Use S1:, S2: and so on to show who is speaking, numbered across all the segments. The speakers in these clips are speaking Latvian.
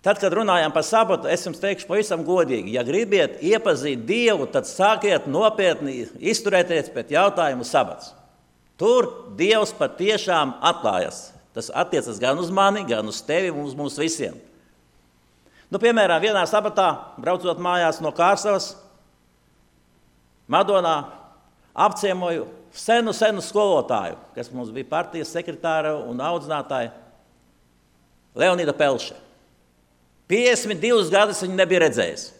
S1: Tad, kad runājām par sabatu, es jums teikšu pavisam godīgi, ja gribiet iepazīt Dievu, tad sākiet nopietni izturēties pēc jautājumu sabats. Tur Dievs patiešām atklājas. Tas attiecas gan uz mani, gan uz tevi un uz mums visiem. Piemēram, vienā sabatā, braucot mājās no Kārsavas, Madonā, apciemoju senu skolotāju, kas mums bija partijas sekretāra un audzinātāja, Leonīda Pelše. 52 gadus viņa nebija redzējusi.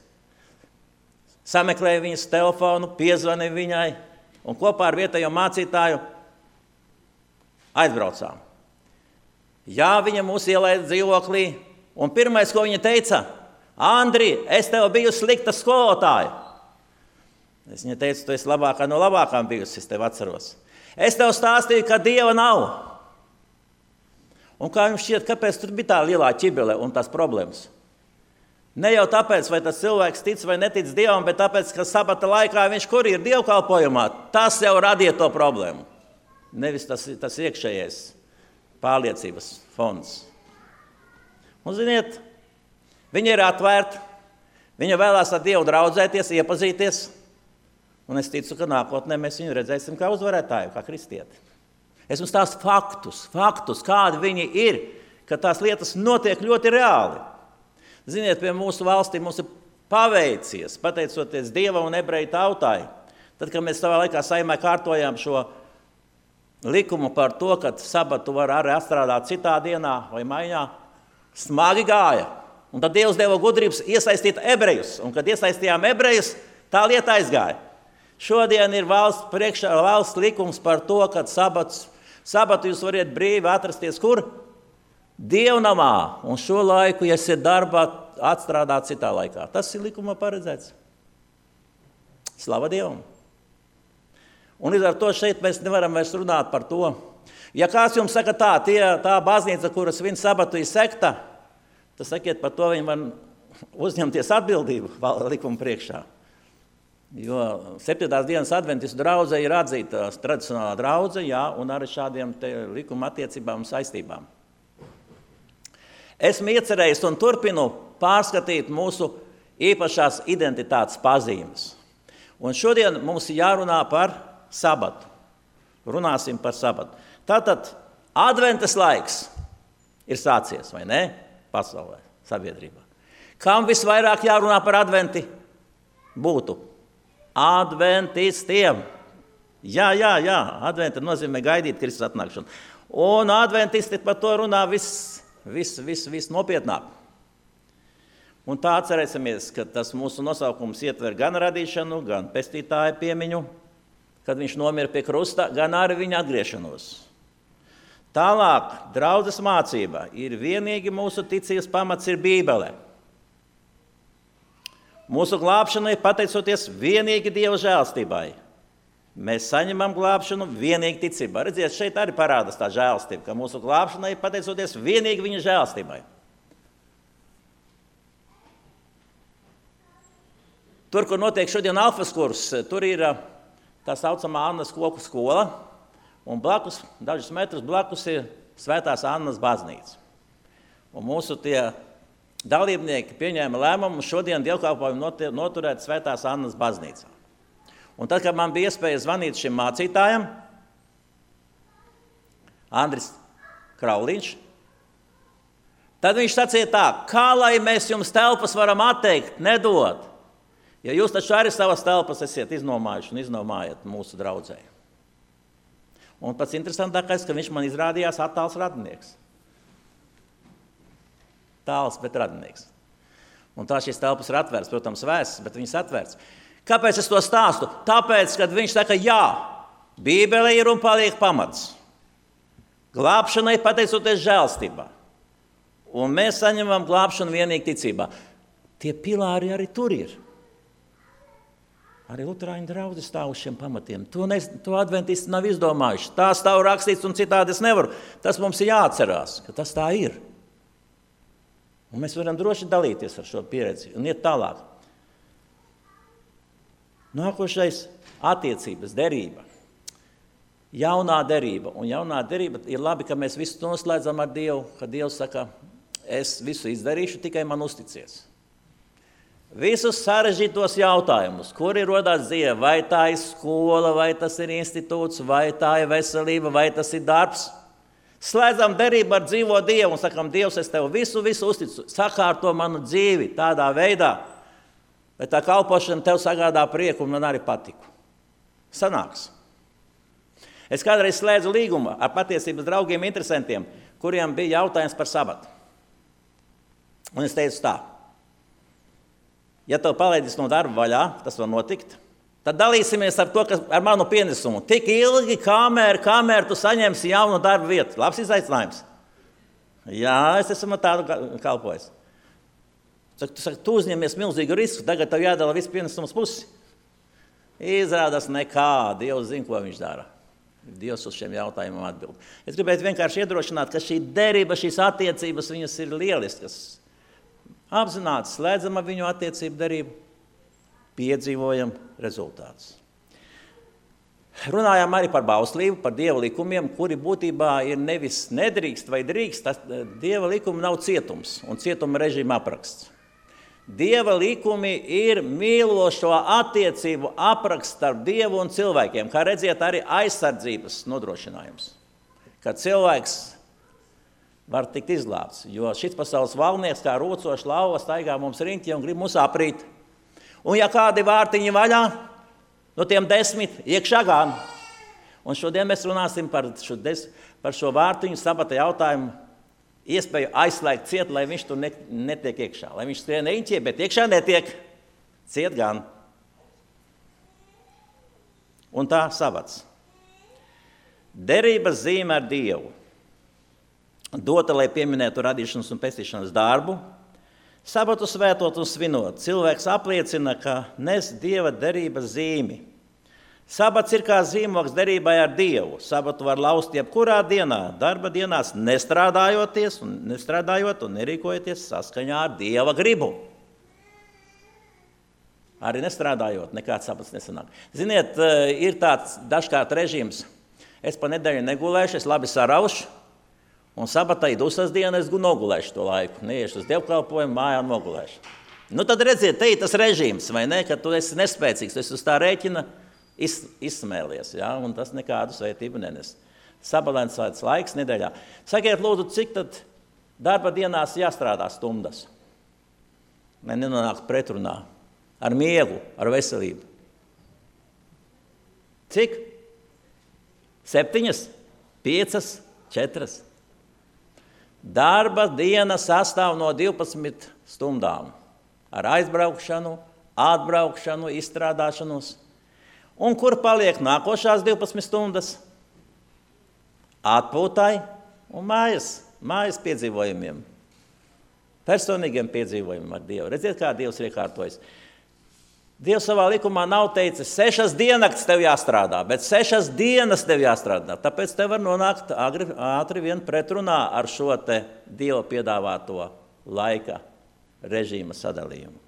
S1: Sameklēja viņas telefonu, piezvanīja viņai un kopā ar vietējo mācītāju aizbraucām. Jā, viņa mūs ielaida dzīvoklī, un pirmais, ko viņa teica, Andri, es tev biju slikta skolotāja. Es viņai teicu, tu esi labākā no labākām bijusi, es tev atceros. Es tev stāstīju, ka Dieva nav. Un kā jums šķiet, kāpēc tur bija tā lielā ķibele un tās problēmas? Ne jau tāpēc, vai tas cilvēks tic vai netic Dievam, bet tāpēc, ka sabata laikā viņš kur ir dievkalpojumā, tas jau radīja to problēmu. Nevis tas iekšējais pārliecības fonds. Un ziniet, viņa ir atvērta, viņa vēlās ar Dievu draudzēties, iepazīties, un es ticu, ka nākotnē mēs viņu redzēsim kā uzvarētāju, kā kristieti. Es jums stāstu faktus, kādi viņi ir, ka tās lietas notiek ļoti reāli. Ziniet, pie mūsu valstī mums ir paveicies, pateicoties Dieva un ebreju tautai. Tad, kad mēs savā laikā Saeimā kārtojām šo likumu par to, ka sabatu var arī atstrādāt citā dienā vai maiņā, smagi gāja. Un tad Dievs deva gudrības iesaistīt ebrejus, un kad iesaistījām ebrejus, tā lieta aizgāja. Šodien ir valsts likums par to, ka sabatu jūs variet brīvi atrasties kur? Dievnamā, un šo laiku, ja esat darbā, atstrādāt citā laikā. Tas ir likumā paredzēts. Slava Dievam! Un līdz ar to šeit mēs nevaram vairs runāt par to. Ja kāds jums saka tā baznīca, kuras viņa sabatu ir sekta, tad sakiet, par to viņi var uzņemties atbildību likuma priekšā. Jo 7. dienas adventistu draudze ir atzīta tradicionālā draudze, jā, un arī šādiem likuma attiecībām un saistībām. Esmu iecerējis un turpinu pārskatīt mūsu īpašās identitātes pazīmes. Un šodien mums ir jārunā par sabatu. Runāsim par sabatu. Tātad adventas laiks ir sācies, vai ne? Pasaulē, sabiedrībā. Kam visvairāk jārunā par adventi? Būtu adventistiem. Jā, adventa nozīmē gaidīt Kristus atnākšanu. Un adventisti par to runā viss nopietnāk. Un tā atcerēsimies, ka tas mūsu nosaukums ietver gan radīšanu, gan pestītāja piemiņu, kad viņš nomira pie krusta, gan arī viņa atgriešanos. Tālāk, draudzes mācība ir vienīgi mūsu ticības pamats ir Bībele. Mūsu glābšanai pateicoties vienīgi Dieva žēlstībai. Mēs saņemam glābšanu vienīgi ticībā. Redziet, šeit arī parādās tā žēlstība, ka mūsu glābšanai pateicoties vienīgi viņa žēlstībai. Tur, kur notiek šodien alfas kurs, tur ir tā saucamā Annas koku skola, un blakus, dažus metrus blakus ir Svētās Annas baznīca. Un mūsu tie dalībnieki pieņēma lēmumu šodien dievkalpojumu noturēt Svētās Annas baznīcā. Un tad, kad man bija iespēja zvanīt šim mācītājam, Andris Krauliņš, tad viņš sacīja tā, kā lai mēs jums telpas varam atteikt, nedot, ja jūs taču arī savas telpas esiet iznomājuši un iznomājat mūsu draudzē. Un pats interesantākais, ka viņš man izrādījās attāls radinieks. Tāls, bet radinieks. Un tā šīs telpas ir atvērts, protams, vēsts, bet viņas atvērts. Kāpēc es to stāstu? Tāpēc, kad viņš saka, jā, Bībele ir un paliek pamats. Glābšanai pateicoties žēlstībā. Un mēs saņemam glābšanu vienīgi ticībā. Tie pilāri arī tur ir. Arī luterāņu draugi stāv uz šiem pamatiem. To adventisti nav izdomājuši. Tā stāv rakstīts un citādi es nevaru. Tas mums ir jāatcerās, ka tas tā ir. Un mēs varam droši dalīties ar šo pieredzi un iet tālāk. Nākošais attiecības, derība. Jaunā derība. Un jaunā derība ir labi, ka mēs visu to noslēdzam ar Dievu, ka Dievs saka, es visu izdarīšu, tikai man uzticies. Visus sarežģītos jautājumus, kuri rodās dzīvē, vai tā ir skola, vai tas ir institūts, vai tā ir veselība, vai tas ir darbs. Slēdzam derību ar dzīvo Dievu un sakam, Dievs, es tev visu uzticu, sakārto manu dzīvi tādā veidā, lai tā kalpošana tev sagādā prieku un man arī patiku. Sanāks. Es kādreiz slēdzu līgumu ar patiesības draugiem, interesantiem, kuriem bija jautājums par sabatu. Un es teicu tā. Ja tev palaidīs no darba vaļā, tas var notikt, tad dalīsimies ar to, ar manu pienesumu. Tik ilgi, kamēr tu saņemsi jaunu darba vietu. Labs izaicinājums. Jā, es esmu tādu kalpojis. Tu uzņemies milzīgu risku, tagad tev jādala viss pienesums pusi. Izrādās nekā, Dievs zina, ko viņš dara. Dievs uz šiem jautājumiem atbild. Es gribētu vienkārši iedrošināt, ka šī derība, šīs attiecības, viņas ir lieliskas. Apzināti slēdzam ar viņu attiecību derību, piedzīvojam rezultātus. Runājām arī par bauslību, par Dieva likumiem, kuri būtībā ir nevis nedrīkst vai drīkst. Dieva likumi nav cietums un cietuma režīma apraksts. Dieva likumi ir mīlošo attiecību apraksts starp Dievu un cilvēkiem, kā redziet, arī aizsardzības nodrošinājums. Kad cilvēks var tikt izglābts, jo šis pasaules valdnieks kā rūcošs lauva staigā mums riņķī un grib mūs aprīt. Un ja kādi vārtiņi vaļā, no tiem 10 iekšā gan. Un šodien mēs runāsim par šo vārtiņu sabata jautājumu, iespēju aizslēgt ciet, lai viņš tur netiek iekšā. Lai viņš skrien riņķī, bet iekšā netiek, ciet gan. Un tā sabats. Derības zīme ar Dievu. Dota, lai pieminētu radīšanas un pestīšanas darbu, sabatu svētot un svinot. Cilvēks apliecina, ka nes Dieva derības zīmi. Sabats ir kā zīmogs derībai ar Dievu. Sabatu var laust jebkurā dienā, darba dienās, nestrādājot un nerīkojoties saskaņā ar Dieva gribu. Arī nestrādājot, nekāds sabats nesanāk. Ziniet, ir tāds dažkārt režīms. Es pa nedēļu negulēšu, es labi saraušu. Un sabatā ir dusmas diena, es nogulēšu to laiku. Neiešu uz dievkalpojumu, mājā nogulēšu. Nu tad redziet, te ir tas režīms, vai ne, ka tu esi nespēcīgs, tu esi uz tā rēķina izsmēlies, ja? Un tas nekādu svētību nenes. Sabalansēts laiks nedēļā. Sakiet, lūdzu, cik tad darba dienās jāstrādā stundas? Lai nenonāktu pretrunā ar miegu, ar veselību. Cik? 7, 5, 4. Darba diena sastāv no 12 stundām. Ar aizbraukšanu, atbraukšanu, izstrādāšanos. Un kur paliek nākošās 12 stundas? Atpūtai un mājas piedzīvojumiem. Personīgiem piedzīvojumiem ar Dievu. Redziet, kā Dievs ir iekārtojis. Dievs savā likumā nav teicis, 6 diennakts tev jāstrādā, bet 6 dienas tev jāstrādā. Tāpēc tev var nonākt ātri vien pretrunā ar šo te Dieva piedāvāto laika režīma sadalījumu.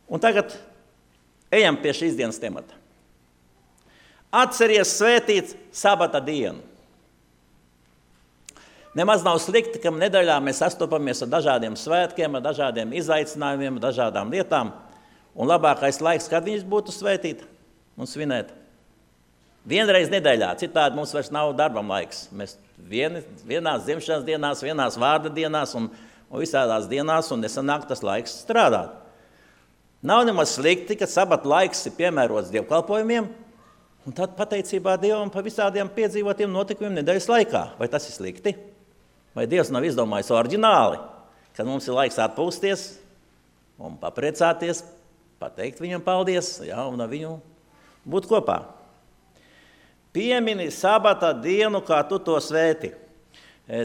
S1: Un tagad ejam pie šīs dienas temata. Atceries svētīt sabata dienu. Nemaz nav slikti, ka nedēļā mēs sastopamies ar dažādiem svētkiem, ar dažādiem izaicinājumiem, ar dažādām lietām. Un labākais laiks, kad viņus būtu svētīt un svinēt. Vienreiz nedēļā, citādi mums vairs nav darbam laiks. Mēs vienās dzimšanas dienās, vienās vārda dienās un visādās dienās, un nesanāk tas laiks strādāt. Nav nemaz slikti, ka sabata laiks ir piemērots dievkalpojumiem, un tad pateicībā Dievam par visādiem piedzīvotiem notikumiem nedēļas laikā. Vai tas ir slikti? Vai Dievs nav izdomājis oriģināli, kad mums ir laiks atpūsties un papriecāties, pateikt viņam paldies, ja, un ar viņu būt kopā. Piemini sabata dienu, kā tu to svēti.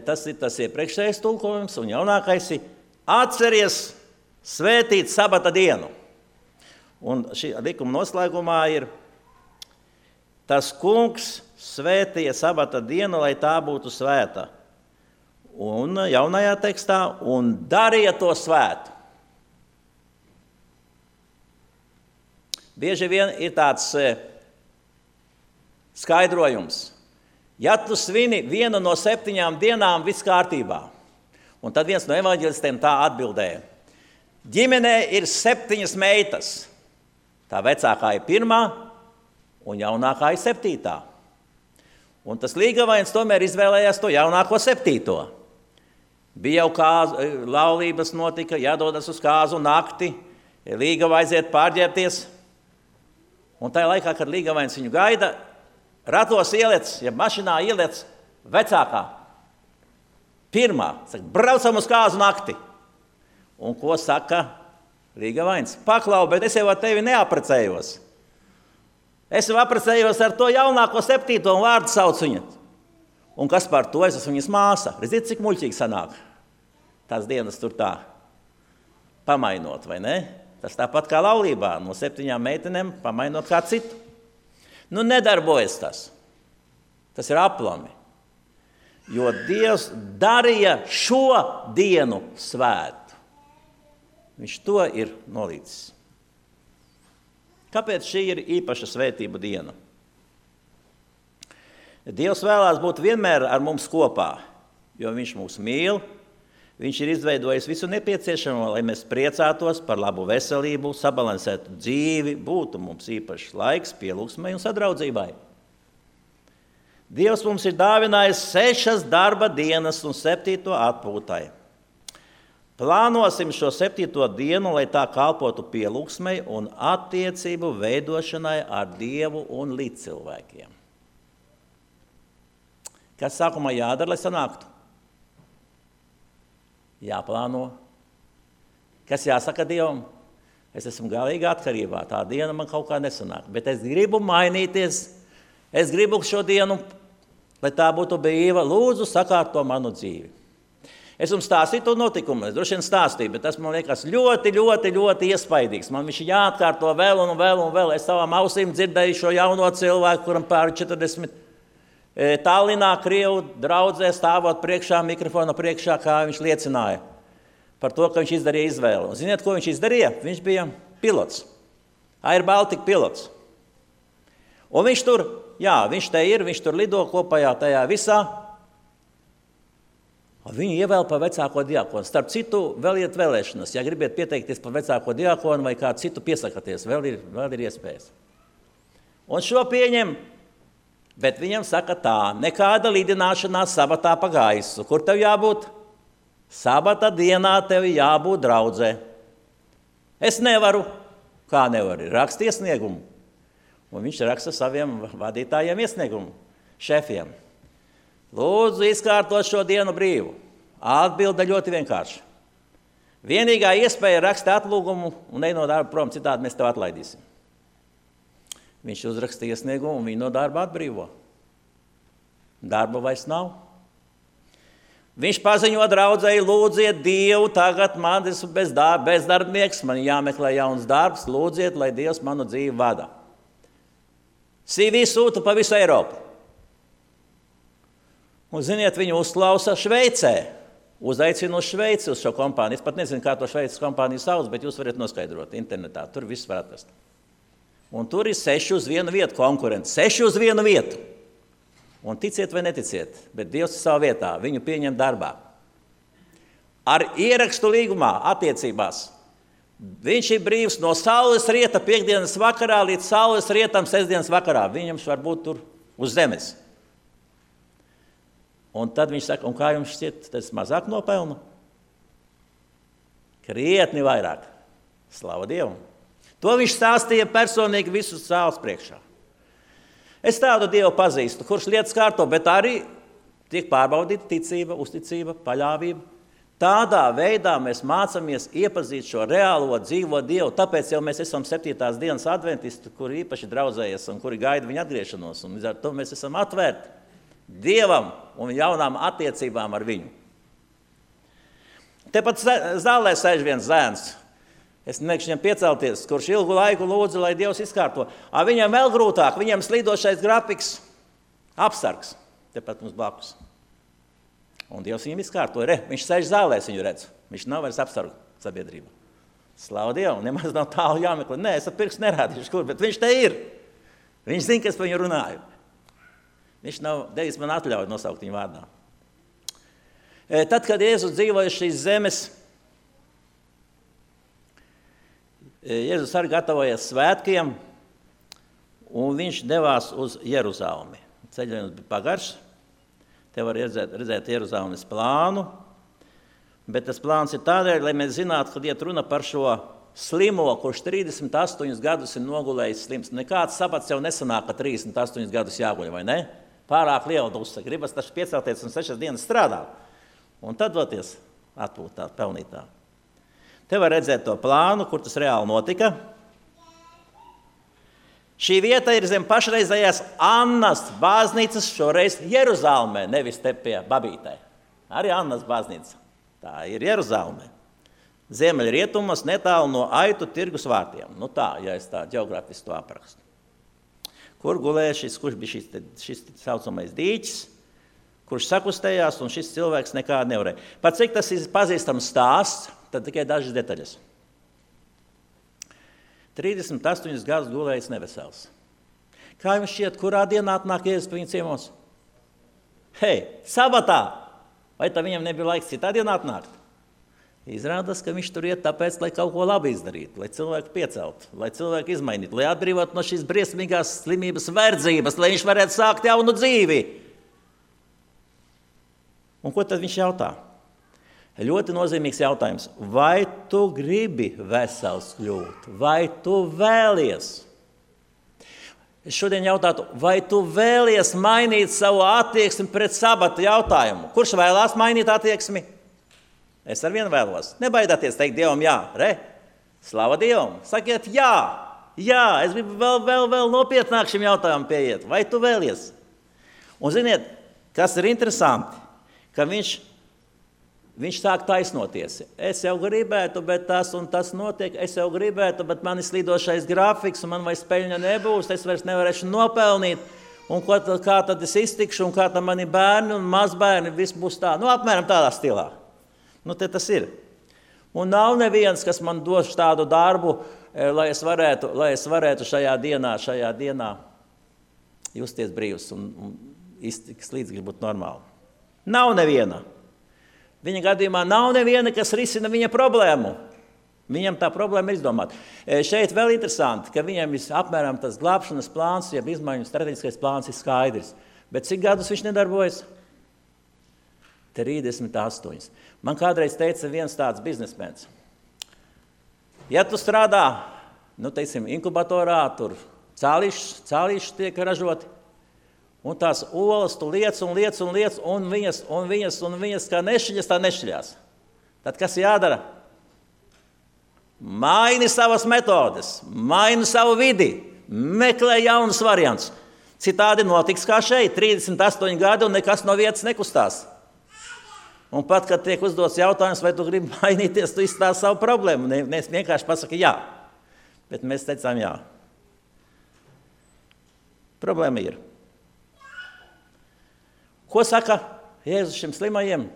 S1: Tas ir tas iepriekšējais tulkojums, un jaunākais ir atceries svētīt sabata dienu. Un šī likuma noslēgumā ir tas kungs svētīja sabata dienu, lai tā būtu svēta. Un jaunajā tekstā, un darīja to svētu. Bieži vien ir tāds skaidrojums. Ja tu svini vienu no 7 dienām, viss kārtībā. Un tad viens no evaņģelistiem tā atbildēja. Ģimenē ir 7 meitas. Tā vecākā ir 1. un jaunākā ir 7. Un tas līgavains tomēr izvēlējās to jaunāko 7. Bija jau laulības notika, jādodas uz kāzu nakti, līgava aiziet pārģērbties. Un tajā laikā, kad līgavains viņu gaida, ratos ieliec, ja mašinā ieliec vecākā. 1. Saka, braucam uz kāzu nakti. Un ko saka līgavains? Paklau, bet es jau ar tevi neaprecējos. Es jau aprecējos ar to jaunāko 7. un vārdu sauc viņu. Un kas par to? Es esmu viņas māsa. Redziet, cik muļķīgi sanāk. Tās dienas tur tā pamainot, vai ne? Tas tāpat kā laulībā, no 7 meitenēm pamainot kā citu. Nu, nedarbojas tas. Tas ir aplami. Jo Dievs darīja šo dienu svētu. Viņš to ir nolīdzis. Kāpēc šī ir īpaša svētību diena? Dievs vēlās būt vienmēr ar mums kopā, jo viņš mūs mīl. Viņš ir izveidojis visu nepieciešamo, lai mēs priecātos par labu veselību, sabalansētu dzīvi, būtu mums īpašs laiks pielūgsmei un sadraudzībai. Dievs mums ir dāvinājis 6 darba dienas un 7. atpūtai. Plānosim šo 7. dienu, lai tā kalpotu pielūgsmei un attiecību veidošanai ar Dievu un līdzcilvēkiem. Kas sākumā jādara, lai sanāktu? Jāplāno. Kas jāsaka Dievam? Es esmu galīgi atkarībā, tā diena man kaut kā nesanāk, bet es gribu mainīties. Es gribu šo dienu, lai tā būtu brīva, lūdzu sakārto manu dzīvi. Es jums stāstīju to notikumu, es droši vien stāstīju, bet tas man liekas ļoti iespaidīgs. Man viņš jāatkārto vēl un vēl. Es savām ausīm dzirdēju šo jauno cilvēku, kuram pāri 40 Tallinā, Krievu draudzē, stāvot priekšā, mikrofona priekšā, kā viņš liecināja par to, ka viņš izdarīja izvēli. Un ziniet, ko viņš izdarīja? Viņš bija pilots, Air Baltica pilots. Un viņš tur, viņš te ir, viņš tur lido kopējā tajā visā. Viņu ievēl par vecāko diakonu. Starp citu, vēl iet vēlēšanas. Ja gribiet pieteikties par vecāko diakonu vai kādu citu piesakaties, vēl ir iespējas. Un šo pieņem, bet viņam saka tā, nekāda lidināšanās sabatā pa gaisu. Kur tev jābūt? Sabata dienā tev jābūt draudzē. Es nevaru. Kā nevaru? Rakst iesniegumu. Un viņš raksta saviem vadītājiem iesniegumu, šefiem. Lūdzu, izkārtot šo dienu brīvu. Atbilde ļoti vienkārši. Vienīgā iespēja raksta atlūgumu un ej no darba prom, citādi mēs tev atlaidīsim. Viņš uzraksta iesniegumu un viņu no darba atbrīvo. Darba vairs nav. Viņš paziņo draudzēji, lūdziet Dievu, tagad man esmu bezdarbnieks, man jāmeklē jauns darbs, lūdziet, lai Dievs manu dzīvi vada. CV sūta pa visu Eiropu. Un, ziniet, viņu uzklausa Šveicē. Uzaicina uz Šveici, uz šo kompāniju. Es pat nezinu, kā to Šveices kompāniju sauc, bet jūs varat noskaidrot internetā. Tur viss var atrast. Un tur ir 6 uz 1 vietu konkurenti. 6 uz 1 vietu. Un ticiet vai neticiet, bet Dievs ir savā vietā. Viņu pieņem darbā. Ar ierakstu līgumā attiecībās. Viņš ir brīvs no saules rieta piekdienas vakarā līdz saules rietam sestdienas vakarā. Viņam var būt tur uz zemes. Un tad viņš saka, un kā jums šķiet, tas mazāk nopelnu? Krietni vairāk. Slava Dievam. To viņš stāstīja personīgi visus sāles priekšā. Es tādu Dievu pazīstu, kurš lietas kārto, bet arī tiek pārbaudīta ticība, uzticība, paļāvība. Tādā veidā mēs mācāmies iepazīt šo reālo dzīvo Dievu, tāpēc jau mēs esam 7. dienas adventisti, kuri īpaši draudzējas un kuri gaida viņa atgriešanos. Un līdz ar to mēs esam atvērti Dievam un jaunām attiecībām ar viņu. Tepat zālē sēž viens zēns. Es nemēkšu viņam piecelties, kurš ilgu laiku lūdzu, lai Dievs izkārto. Viņam vēl grūtāk, viņam slīdošais grafiks, apsargs, tepat mums blakus. Un Dievs viņam izkārtoja. Viņš sēž zālē, es viņu redzu. Viņš nav vairs apsargu sabiedrība. Slavu Dievu, nemaz nav tālu jāmeklē. Nē, es ar pirkstu nerādīšu, kur, bet viņš te ir. Viņš zina, ka es par viņu runāju. Viņš nav devis man atļauju nosaukt viņu vārdā. Tad, kad Jēzus dzīvoja šīs zemes, Jēzus arī gatavojas svētkiem, un viņš devās uz Jeruzalemi. Ceļojums bija pagarš, te var redzēt Jeruzalemes plānu, bet tas plāns ir tādēļ, lai mēs zinātu, kad iet runa par šo slimo, kurš 38 gadus ir nogulējis slims. Nekāds sapats jau nesanāk, ka 38 gadus jāguļ, vai ne? Pārāk liela duse, gribas taču piecelties un 6 dienas strādāt. Un tad doties atpūtāt, pelnītā. Te var redzēt to plānu, kur tas reāli notika. Šī vieta ir zem pašreizējās Annas baznīcas, šoreiz Jeruzalemē, nevis te pie Babītē. Arī Annas baznīca. Tā ir Jeruzalemē. Ziemeļrietumos netālu no Aitu tirgus vārtiem. Nu tā, ja es tā ģeogrāfiski to aprakstu. Kur gulēja kurš bija šis saucamais dīķis, kurš sakustējās, un šis cilvēks nekādu nevarēja. Par cik tas ir pazīstams stāsts, tad tikai dažas detaļas. 38 gadus gulējis nevesels. Kā jums šķiet, kurā dienā atnāk Jēzus pie viņa ciemos? Hei, sabatā! Vai tā viņam nebija laiks citā dienā atnākt? Izrādās, ka viņš tur iet tāpēc, lai kaut ko labi izdarītu, lai cilvēku pieceltu, lai cilvēku izmainītu, lai atbrīvotu no šīs briesmīgās slimības verdzības, lai viņš varētu sākt jaunu dzīvi. Un ko tad viņš jautā? Ļoti nozīmīgs jautājums. Vai tu gribi vesels kļūt? Vai tu vēlies? Es šodien jautātu, vai tu vēlies mainīt savu attieksmi pret sabata jautājumu? Kurš vēlās mainīt attieksmi? Es ar vienu vēlos. Nebaidāties teikt Dievam jā. Re? Slava Dievam. Sakiet jā. Jā, es gribu vēl nopietnāk šim jautājumam pieiet. Vai tu vēlies? Un ziniet, kas ir interesanti? Ka viņš sāk taisnoties. Es jau gribētu, bet tas un tas notiek. Es jau gribētu, bet man ir slīdošais grafiks, un man vairs peļņa nebūs. Es vairs nevarēšu nopelnīt. Un kā tad es iztikšu, un kā tad mani bērni un mazbērni, viss būs tā. Nu, apmēram tādā stilā. Nu, te tas ir. Un nav neviens, kas man dos tādu darbu, lai es varētu šajā dienā justies brīvs un iztiks līdz grib būt normāli. Nav neviena. Viņa gadījumā nav neviena, kas risina viņa problēmu. Viņam tā problēma ir izdomāta. Šeit vēl interesanti, ka viņam apmēram tas glābšanas plāns, jeb izmaiņu strateģiskais plāns ir skaidrs. Bet cik gadus viņš nedarbojas? 38. Man kādreiz teica viens tāds biznesmens. Ja tu strādā, inkubatorā, tur cālīši tiek ražoti, un tās olas tu liec, un viņas kā nešķiļas, tā nešķiļās. Tad kas jādara? Maini savas metodes, maini savu vidi, meklē jaunus variants. Citādi notiks kā šeit, 38 gadi un nekas no vietas nekustās. Un pat, kad tiek uzdots jautājums, vai tu gribi mainīties, tu izstāsti savu problēmu. Mēs vienkārši pasaka jā, bet mēs teicām jā. Problēma ir. Ko saka Jēzus šim slimajiem?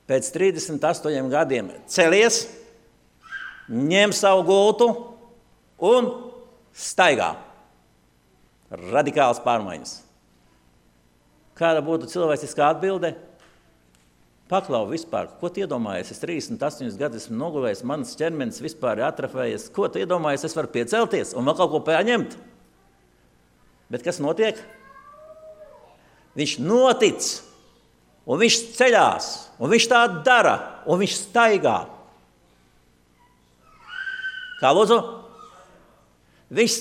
S1: Pēc 38 gadiem celies, ņem savu gultu un staigā. Radikāls pārmaiņas. Kāda būtu cilvēciskā atbilde? Paklau vispār, ko tu iedomājies? Es 38 gadus esmu nogulējis, mans ķermenis vispār ir atrafējies. Ko tu iedomājies? Es varu piecelties un vēl kaut ko paņemt. Bet kas notiek? Viņš notic, un viņš ceļās, un viņš tā dara, un viņš staigā. Kā lūdzu? Viņš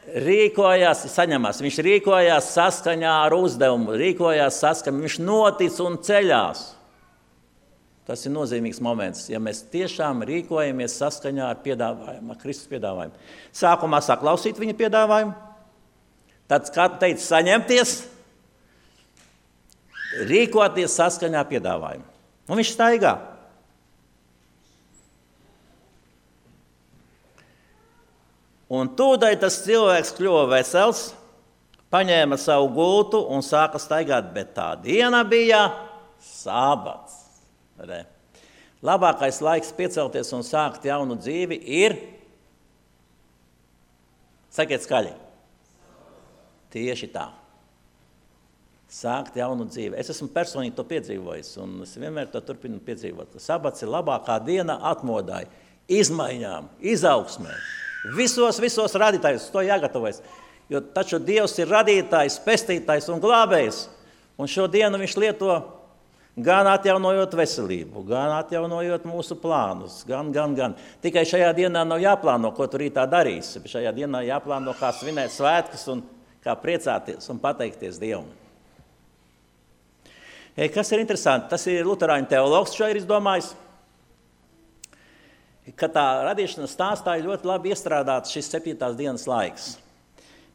S1: viņš rīkojās saskaņā ar uzdevumu, viņš notic un ceļās. Tas ir nozīmīgs moments, ja mēs tiešām rīkojamies saskaņā ar piedāvājumu, ar Kristus piedāvājumu. Sākumā saklausīt viņa piedāvājumu, tad, kā teica, saņemties, rīkoties saskaņā ar piedāvājumu. Un viņš staigā. Un tūdaļ tas cilvēks kļuva vesels, paņēma savu gultu un sāka staigāt, bet tā diena bija sabats. Labākais laiks piecelties un sākt jaunu dzīvi ir, sakiet skaļi, tieši tā, sākt jaunu dzīvi. Es esmu personīgi to piedzīvojis, un es vienmēr to turpinu piedzīvot. Sabats ir labākā diena atmodai, izmaiņām, izaugsmē. Visos radītājos to jāgatavojas. Jo taču Dievs ir radītājs, pestītājs un glābējs. Un šo dienu viņš lieto gan atjaunojot veselību, gan atjaunojot mūsu plānus, gan. Tikai šajā dienā nav jāplāno, ko tu rītā darīsi. Šajā dienā jāplāno, kā svinēt svētkus un kā priecāties un pateikties Dievam. Kas ir interesanti, tas ir luterāņu teologs šo ir izdomājis, ka tā radīšanas stāstā ir ļoti labi iestrādāts šis 7. dienas laiks.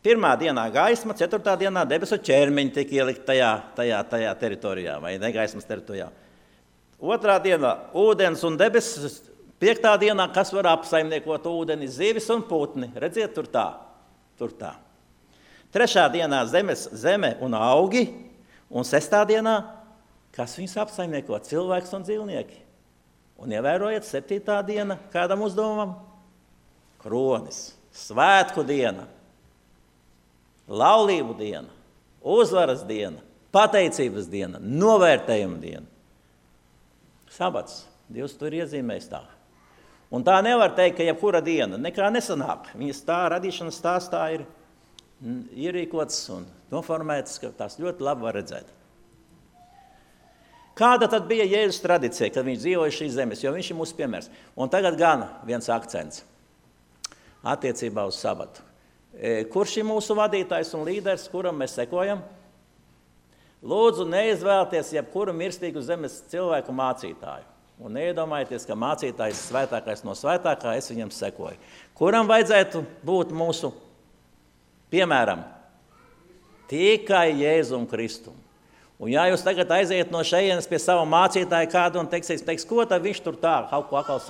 S1: 1. dienā gaisma, 4. dienā debesu ķermeņi tika ielikt tajā teritorijā, vai negaismas teritorijā. 2. dienā ūdens un debesis, 5. dienā, kas var apsaimniekot ūdeni, zivis un putni. Redziet, tur tā. 3. dienā zeme un augi, un 6. dienā, kas viņus apsaimnieko, cilvēks un dzīvnieki. Un ievērojiet, 7. diena, kādam uzdevumam? Kronis, svētku diena. Laulību diena, uzvaras diena, pateicības diena, novērtējuma diena. Sabats, Dievs tur iezīmēs tā. Un tā nevar teikt, ka jebkura diena nekā nesanāk. Viņas tā radīšanas stāstā ir ierīkots un noformēts, ka tās ļoti labi var redzēt. Kāda tad bija Jēzus tradīcija, kad viņš dzīvoja šīs zemes, jo viņš ir mūsu piemērs. Un tagad gan viens akcents attiecībā uz sabatu. Kurš ir mūsu vadītājs un līderis, kuram mēs sekojam? Lūdzu, neizvēlties jebkuru mirstīgu zemes cilvēku mācītāju. Un neiedomājieties, ka mācītājs svētākais no svētākā, es viņam sekoju. Kuram vajadzētu būt mūsu piemēram? Tikai Jēzum Kristum. Un ja jūs tagad aiziet no šejienes pie sava mācītāja kādu un teiks, ko tad viņš tur tā kaut ko atkal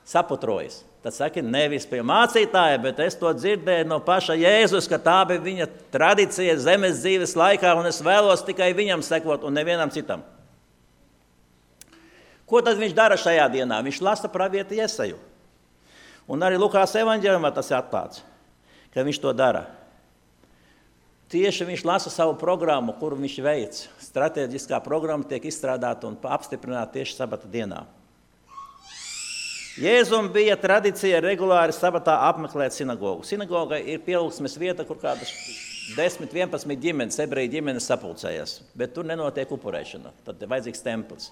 S1: saputrojas? Tad saki, nevis pie mācītāja, bet es to dzirdēju no paša Jēzus, ka tā bija viņa tradīcija zemes dzīves laikā, un es vēlos tikai viņam sekot un nevienam citam. Ko tad viņš dara šajā dienā? Viņš lasa pravieti Jesaju. Un arī Lukās evaņģēlijumā tas ir atklāts, ka viņš to dara. Tieši viņš lasa savu programmu, kuru viņš veic. Strateģiskā programma tiek izstrādāta un apstiprināta tieši sabata dienā. Jēzum bija tradīcija regulāri sabatā apmeklēt sinagogu. Sinagoga ir pielūgsmes vieta, kur kādas 10-11 ģimenes, ebreju ģimenes sapulcējas, bet tur nenotiek upurēšana, tad ir vajadzīgs templis.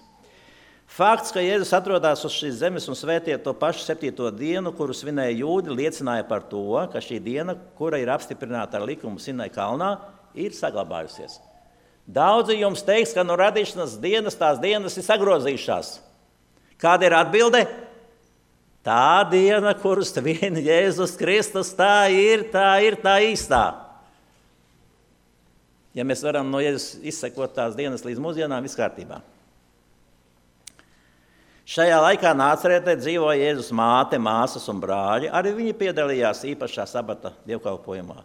S1: Fakts, ka Jēzus atrodās uz šīs zemes un svētīja to pašu 7. dienu, kuru svinēja jūdi, liecināja par to, ka šī diena, kura ir apstiprināta ar likumu Sinai kalnā, ir saglabājusies. Daudzi jums teiks, ka no radīšanas dienas tās dienas ir sagrozījušās. Kāda ir atbilde? Tā diena, kurus vien Jēzus Kristus, tā ir tā īstā. Ja mēs varam no Jēzus izsekot tās dienas līdz mūsdienām, viss kārtībā. Šajā laikā Nācaretē dzīvoja Jēzus māte, māsas un brāļi. Arī viņi piedalījās īpašā sabata dievkalpojumā.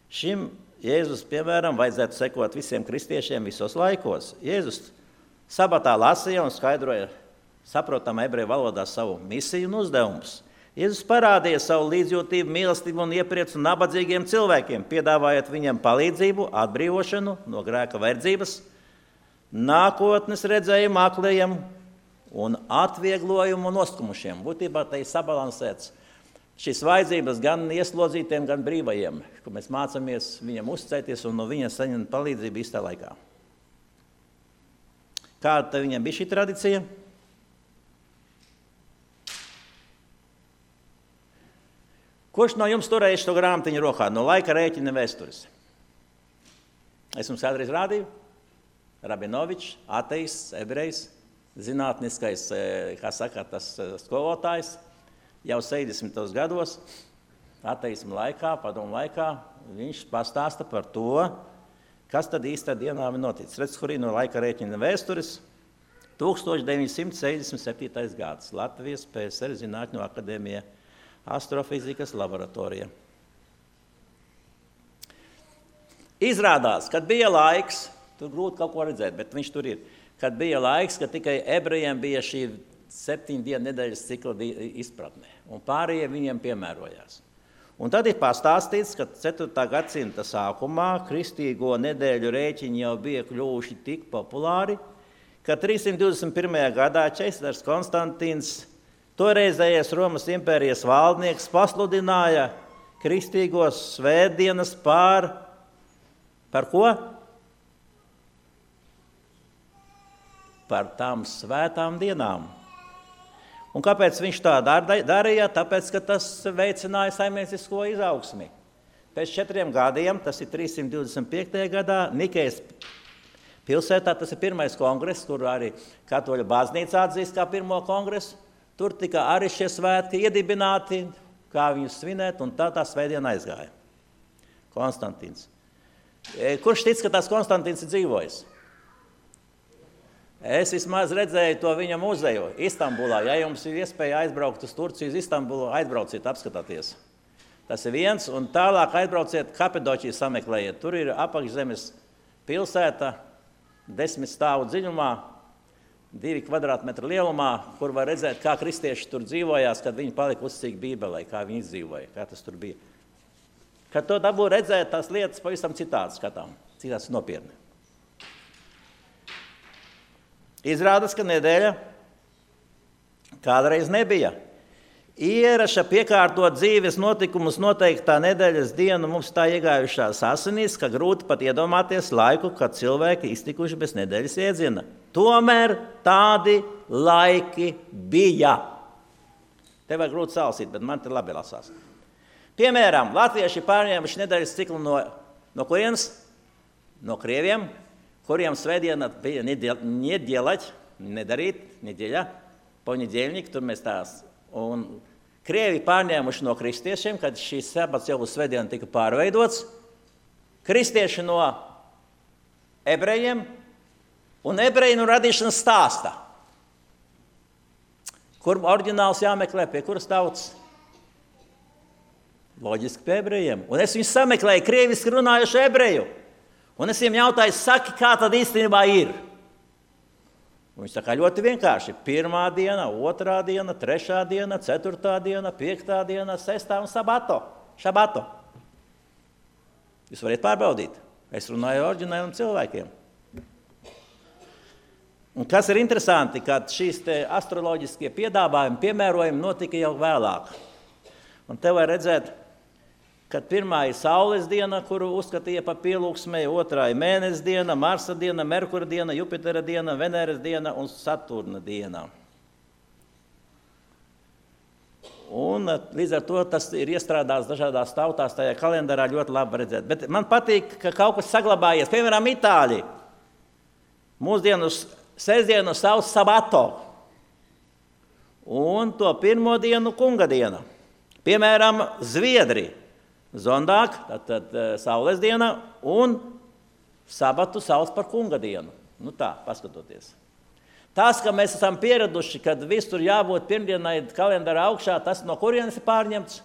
S1: Šim Jēzus piemēram vajadzētu sekot visiem kristiešiem visos laikos. Jēzus sabatā lasīja un skaidroja saprotam ebreju valodā savu misiju un uzdevumus. Jēzus parādīja savu līdzjūtību, mīlestību un iepriecu nabadzīgiem cilvēkiem, piedāvājot viņiem palīdzību, atbrīvošanu no grēka verdzības, nākotnes redzējumu aklajiem un atvieglojumu noskumušiem. Būtībā te ir sabalansēts šīs vajadzības gan ieslodzītiem, gan brīvajiem, kur mēs mācāmies viņiem uzticēties un no viņiem saņemt palīdzību īstā laikā. Kāda viņiem bija šī tradīcija? Kurš no jums turēja šo grāmatiņu rokā? No laika rēķina vēstures. Es jums kādreiz rādīju. Rabinovičs, ateists, ebrejs, zinātniskais, kā saka, tas skolotājs, jau 70. gados, ateisma laikā, padomu laikā, viņš pastāsta par to, kas tad īstā dienā ir noticis. Redz, kurī no laika rēķina vēstures, 1967. gads, Latvijas PSR Zinātņu akadēmija, astrofizikas laboratorija. Izrādās, kad bija laiks, tur grūti kaut ko redzēt, bet viņš tur ir, kad bija laiks, ka tikai ebrejiem bija šī 7 dienu nedēļas cikla izpratne, un pārējie viņiem piemērojās. Un tad ir pastāstīts, ka 4. gadsimta sākumā kristīgo nedēļu rēķini jau bija kļuvuši tik populāri, ka 321. gadā ķeizars Konstantīns, toreizējais Romas impērijas valdnieks, pasludināja kristīgos svētdienas par ko? Par tām svētām dienām. Un kāpēc viņš tā darīja? Tāpēc, ka tas veicināja saimniecisko izaugsmi. Pēc 4 gadiem, tas ir 325. gadā, Nikejas pilsētā, tas ir pirmais kongress, kur arī katoļu baznīca atzīst kā pirmo kongresu. Tur tika arī šie svētki iedibināti, kā viņus svinēt, un tā svētdiena aizgāja. Konstantīns. Kurš tic, ka tās Konstantīns ir dzīvojis? Es vismaz redzēju to viņa muzeju Istambulā. Ja jums ir iespēja aizbraukt uz Turciju, uz Istambulu, aizbrauciet, apskatāties. Tas ir viens, un tālāk aizbrauciet Kapadoķiju sameklējiet. Tur ir apakšzemes pilsēta, 10 stāvu dziļumā, 2 kvadrātmetru lielumā, kur var redzēt, kā kristieši tur dzīvojās, kad viņi palika uzticīgi Bībelei, kā viņi izdzīvoja, kā tas tur bija. Kad to dabū redzēt, tās lietas pavisam citādi skatām, citāds nopietni. Izrādās, ka nedēļa kādreiz nebija. Ieraša piekārtot dzīves notikumus noteiktā nedēļas dienu mums tā iegājušās asinīs, ka grūti pat iedomāties laiku, kad cilvēki iztikuši bez nedēļas iedziena. Tomēr tādi laiki bija. Te vajag grūti salasīt, bet man te labi lasās. Piemēram, latvieši pārņēmuši nedēļas ciklu no kurienes? No krieviem, kuriem svētdiena bija nedeļa, poņedeļnik, tur mēs tās. Un krievi pārņēmuši no kristiešiem, kad šīs sabats jau uz svētdienu tika pārveidots. Kristieši no ebrejiem un ebreju no radīšanas stāsta. Kur oriģināls jāmeklē, pie kuras tautas? Loģiski pie ebrejiem. Un es viņus sameklēju krieviski runājuši ebreju. Un es viņiem jautāju, saki, kā tad īstenībā ir? Un viņš saka, ļoti vienkārši. 1. diena, 2. diena, 3. diena, 4. diena, 5. diena, 6. un šabato. Jūs varat pārbaudīt. Es runāju oriģināliem cilvēkiem. Un kas ir interesanti, kad šīs astroloģiskie piedāvājumi, piemērojumi notika jau vēlāk. Un te var redzēt, kad 1. ir saules diena, kuru uzskatīja par pielūgsmēju, 2. ir mēnesis diena, Marsa diena, Merkura diena, Jupitera diena, Veneras diena un Saturna diena. Un līdz ar to tas ir iestrādāts dažādās tautās, tajā kalendārā ļoti labi redzēt. Bet man patīk, ka kaut kas saglabājies. Piemēram, Itāļi. Mūsdienu sestdienu sauc sabato. Un to 1. dienu kunga diena. Piemēram, Zviedri. Zondāk, tad saules diena, un sabatu sauc par kunga dienu. Nu tā, paskatoties. Tas, ka mēs esam pieraduši, kad visur jābūt pirmdienai kalendāra augšā, tas no kurienes ir pārņemts?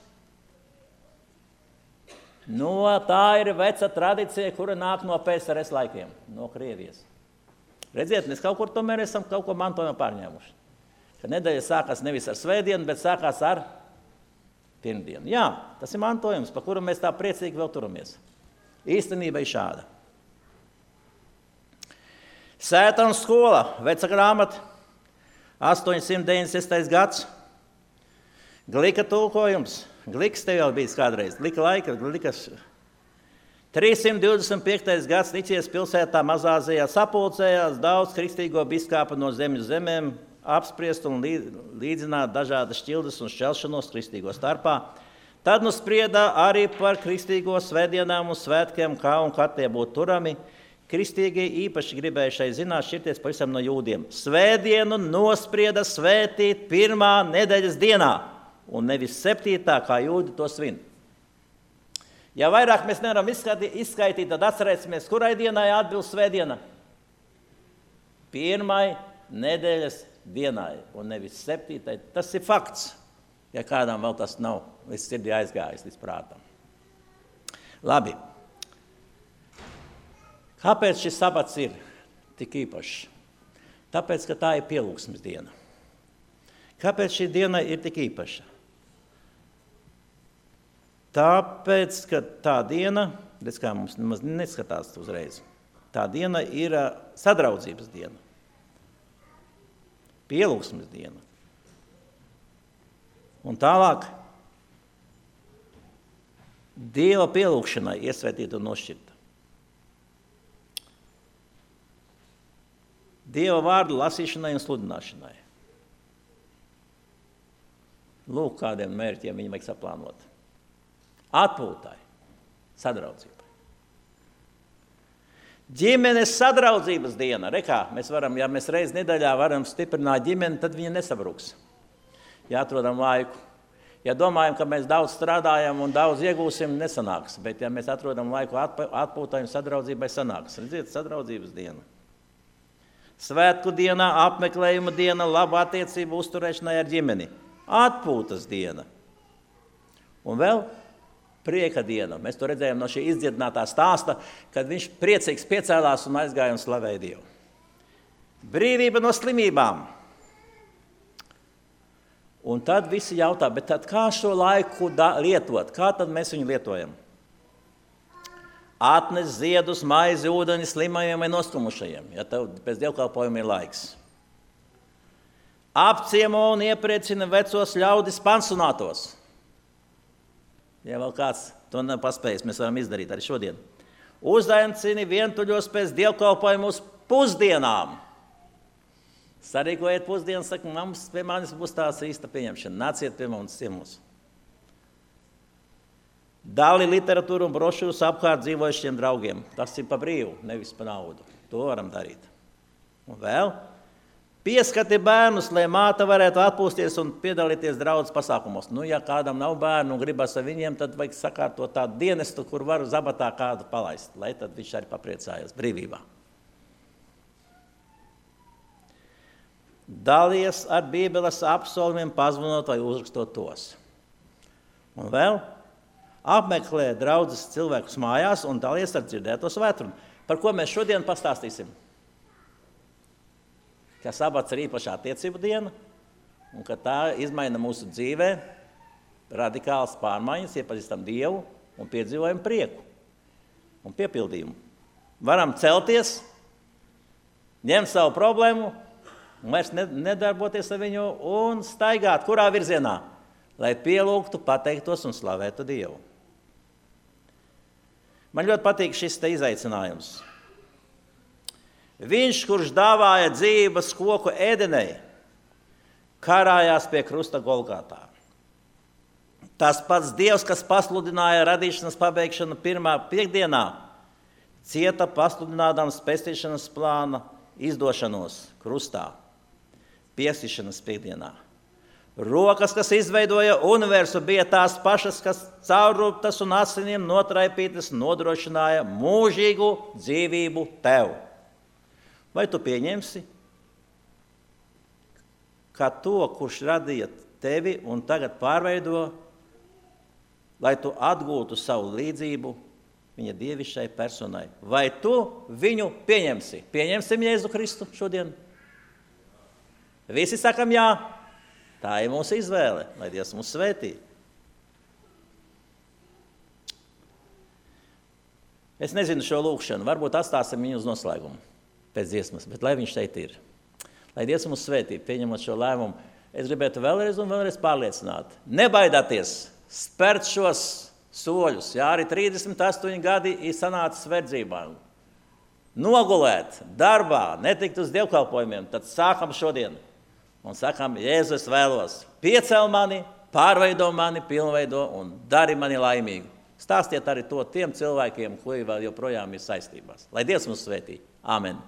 S1: Tā ir veca tradīcija, kura nāk no PSRS laikiem, no Krievijas. Redziet, mēs kaut kur tomēr esam kaut ko mantojumā pārņēmuši. Ka nedēļa sākās nevis ar svētdienu, bet sākās ar pirmdienu. Jā, tas ir mantojums, par kuru mēs tā priecīgi vēl turamies. Īstenība ir šāda. Sēta un skola, veca grāmata, 896. gads. Glika tulkojums. Gliks tev jau bijis kādreiz. Glika laika, glikas. 325. gads Niķijas pilsētā Mazāzijā sapulcējās daudz kristīgo biskāpu no zemju zemēm, apspriest un līdzināt dažādas šķildes un šķelšanos kristīgo starpā. Tad nu sprieda arī par kristīgo svētdienām un svētkiem, kā un kad tie būtu turami. Kristīgie īpaši gribēja šai zināt šķirties pavisam no jūdiem. Svētdienu nosprieda svētīt 1. nedēļas dienā un nevis 7. kā jūdi to svin. Ja vairāk mēs nevaram izskaitīt, tad atcerēsimies, kurai dienai atbilst svētdiena? 1. nedēļas dienai un nevis 7. Tas ir fakts, ja kādam vēl tas nav līdz sirdī aizgājis, līdz prātam. Labi. Kāpēc šis sabats ir tik īpašs? Tāpēc, ka tā ir pielūgsmes diena. Kāpēc šī diena ir tik īpaša? Tāpēc, ka tā diena, redz kā mums nemaz neskatās uzreiz, tā diena ir sadraudzības diena, pielūgsmes diena. Un tālāk Dieva pielūgšanai iesvētīta un nošķirta. Dieva vārdu lasīšanai un sludināšanai. Lūk, kādiem mērķiem viņi vajag saplānot. Atpūtai, sadraudzībai. Ģimenes sadraudzības diena. Rekā, mēs varam, ja mēs reiz nedēļā varam stiprināt ģimeni, tad viņa nesabruks. Ja atrodam laiku. Ja domājam, ka mēs daudz strādājam un daudz iegūsim, nesanāks. Bet ja mēs atrodam laiku atpūtai un sadraudzībai, sanāks. Redziet, sadraudzības diena. Svētku dienā, apmeklējuma diena, laba attiecība uzturēšanai ar ģimeni. Atpūtas diena. Un vēl prieka diena. Mēs to redzējām no šī izdziedinātā stāsta, kad viņš priecīgs piecēlās un aizgāja un slavēja Dievu. Brīvība no slimībām. Un tad visi jautā, bet tad kā šo laiku lietot? Kā tad mēs viņu lietojam? Atnes ziedus, maizi, ūdeni slimajiem vai noskumušajiem, ja tev pēc dievkalpojuma ir laiks. Apciemo un iepriecina vecos ļaudis pansionātos. Ja vēl kāds to nav paspējis, mēs varam izdarīt arī šodien. Uzaicini vientuļos pēc dievkalpojuma uz pusdienām. Sarīkojiet pusdienas, saka, mums pie manis būs tās īsta pieņemšana. Nāciet pie mums ciemos. Dali literatūru un brošūrus apkārt dzīvojušiem draugiem. Tas ir pa brīvu, nevis pa naudu. To varam darīt. Un vēl pieskati bērnus, lai māte varētu atpūsties un piedalīties draudzes pasākumos. Nu, ja kādam nav bērnu un gribas ar viņiem, tad vajag sakārtot tādu dienestu, kur var zabatā kādu palaist, lai tad viņš arī papriecājas brīvībā. Dalies ar Bībeles apsolumiem, pazvanot vai uzrakstot tos. Un vēl apmeklē draudzes cilvēkus mājās un dalies ar dzirdēto svētrumu. Par ko mēs šodien pastāstīsim? Ka sabats ir īpašā attiecību diena un ka tā izmaina mūsu dzīvē radikālas pārmaiņas, iepazīstam Dievu un piedzīvojam prieku un piepildījumu. Varam celties, ņemt savu problēmu, un vairs nedarboties ar viņu un staigāt, kurā virzienā, lai pielūgtu, pateiktos un slavētu Dievu. Man ļoti patīk šis te izaicinājums. Viņš, kurš dāvāja dzīvības koku Ēdenei, karājās pie krusta Golgātā. Tas pats Dievs, kas pasludināja radīšanas pabeigšanu pirmā piekdienā, cieta pasludinādams pestīšanas plāna izdošanos krustā. Piesīšanas piekdienā. Rokas, kas izveidoja universu, bija tās pašas, kas caurrūptas un asinīm notraipītas nodrošināja mūžīgu dzīvību tev. Vai tu pieņemsi, ka to, kurš radīja tevi un tagad pārveido, lai tu atgūtu savu līdzību viņa dievišķai personai? Vai tu viņu pieņemsi? Pieņemsim Jēzu Kristu šodien? Visi sakam jā, tā ir mūsu izvēle, lai Dievs mūs svētī. Es nezinu šo lūkšanu, varbūt atstāsim viņu uz noslēgumu pēc dziesmas, bet lai viņš šeit ir. Lai Dievs mūs svētī, pieņemot šo lēmumu, es gribētu vēlreiz un vēlreiz pārliecināt. Nebaidāties spērt šos soļus, ja arī 38 gadi ir sanācis verdzībā. Nogulēt darbā, netikt uz dievkalpojumiem, tad sākam šodien. Un sakām, Jēzu, es vēlos, piecel mani, pārveido mani, pilnveido un dari mani laimīgu. Stāstiet arī to tiem cilvēkiem, kuri vēl joprojām ir saistībās. Lai Dievs mūs svētī. Āmen.